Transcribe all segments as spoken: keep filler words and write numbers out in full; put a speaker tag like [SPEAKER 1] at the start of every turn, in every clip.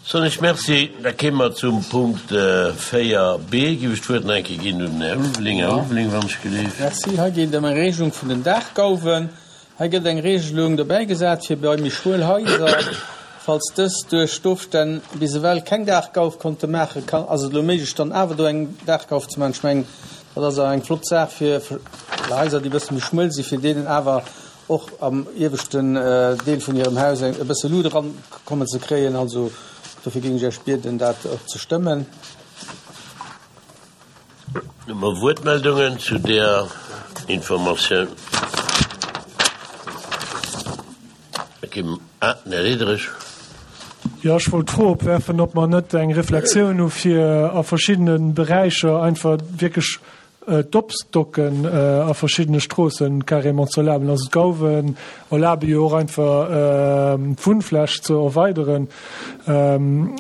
[SPEAKER 1] Soen ech Merci. Da kéime mer zum Punkt véier b. Giff ech d'Wuert nach eng Kéier ginn un den Här Ulveling. Här Ulveling, wann ech gelift.
[SPEAKER 2] Merci. Hei geet et ëm eng Regelung vun den Daachgauwen. Hei gëtt eng Regelung dobäigesat fir bei méi schmuel Haiser, falls dës duerch d'Ofstänn bis ewell keng Daachgauf konnte maachen, kann, ass et elo méiglech dann awer do eng Daachgauf ze maachen. Ech mengen, dat ass awer eng flott Saach fir Haiser, déi e bësse méi schmuel sinn, fir deenen awer och am ieweschten Deel vun hirem Haus e bësse Lut erankommen ze kréien. Also dofir géing ech Iech bieden, dat och ze stëmmen.
[SPEAKER 1] Hu mer Wuertmeldungen zu där Informatioun? Ah, den Här Diderich.
[SPEAKER 3] Jo, ech wollt d'Fro opwerfen, ob mer net eng Reflexioun hu fir a verschiddene Beräicher einfach wierklech d'Opstocken a verschiddene Stroossen carrément ze erlaben. Also d'Gauwen erlabe jo och einfach d'Wunnfläch ze erweideren. An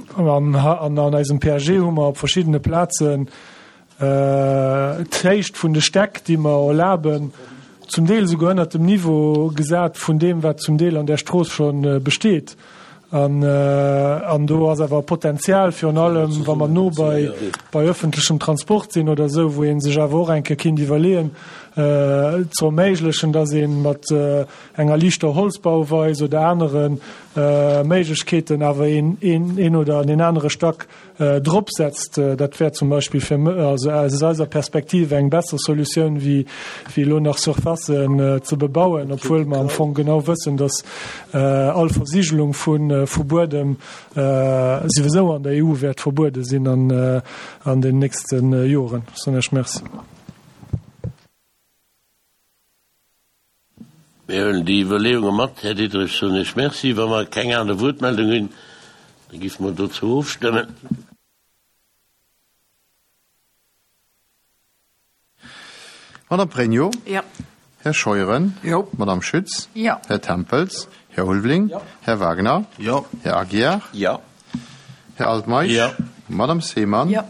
[SPEAKER 3] an eisem P A G hu mer op verschiddene Plazen d'Héicht vun de Stäck, déi mer erlaben, zum Deel souguer ënnert dem Niveau gesat vun deem, wat zum Deel an där Strooss scho besteet. An, an do ass awer Potenzial, virun allem wa mer no bei, bei öffentlechem Transport sinn oder esou, wou ee sech awer och eng Kéier kinnt iwwerleeën, ze erméiglechen, dass ee mat enger liichter Holzbauweis oder anere Méiglechkeeten awer een, een, een oder an een anere Stack drop setzt. Dat wär zum Beispill fir, also aus eiser Perspektiv eng besser Solutioun wéi, wéi elo nach Surfacen ze bebauen, obwuel mer am Fong genau wëssen, dass all Versigelung vu, vu Buedem souwisou an der E U wäert verbuede sinn an, an den nächste Joren. Soen ech Merci.
[SPEAKER 1] Mir huelen déi Iwwerleeunge mat, Här Diderich, soen ech Merci. Wa mer keng aner Wuertmeldung hunn, da géife mer dozou ofstëmmen.
[SPEAKER 4] Madame Pregno.
[SPEAKER 5] Jo.
[SPEAKER 4] Här Scheuren.
[SPEAKER 5] Jo.
[SPEAKER 4] Madame Schütz.
[SPEAKER 5] Jo.
[SPEAKER 4] Här Tempels. Här Ulveling.
[SPEAKER 2] Jo.
[SPEAKER 4] Här Wagner.
[SPEAKER 1] Jo.
[SPEAKER 4] Här Aguiar.
[SPEAKER 1] Jo.
[SPEAKER 4] Här Altmeisch.
[SPEAKER 1] Jo.
[SPEAKER 4] Madame Seemann.
[SPEAKER 5] Jo.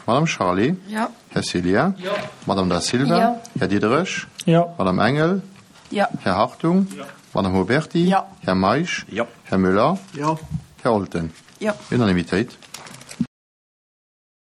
[SPEAKER 4] Madame Charlé.
[SPEAKER 5] Jo.
[SPEAKER 4] Här Celia.
[SPEAKER 2] Jo.
[SPEAKER 4] Madame Da Silva.
[SPEAKER 5] Jo.
[SPEAKER 4] Här Diderich.
[SPEAKER 3] Jo.
[SPEAKER 4] Madame Engel.
[SPEAKER 5] Jo.
[SPEAKER 4] Här Hartung.
[SPEAKER 2] Jo.
[SPEAKER 4] Madame Huberti.
[SPEAKER 5] Jo.
[SPEAKER 4] Här Meisch.
[SPEAKER 1] Jo.
[SPEAKER 4] Här Müller.
[SPEAKER 2] Jo.
[SPEAKER 4] Här Olten.
[SPEAKER 5] Jo.
[SPEAKER 4] Unanimitéit.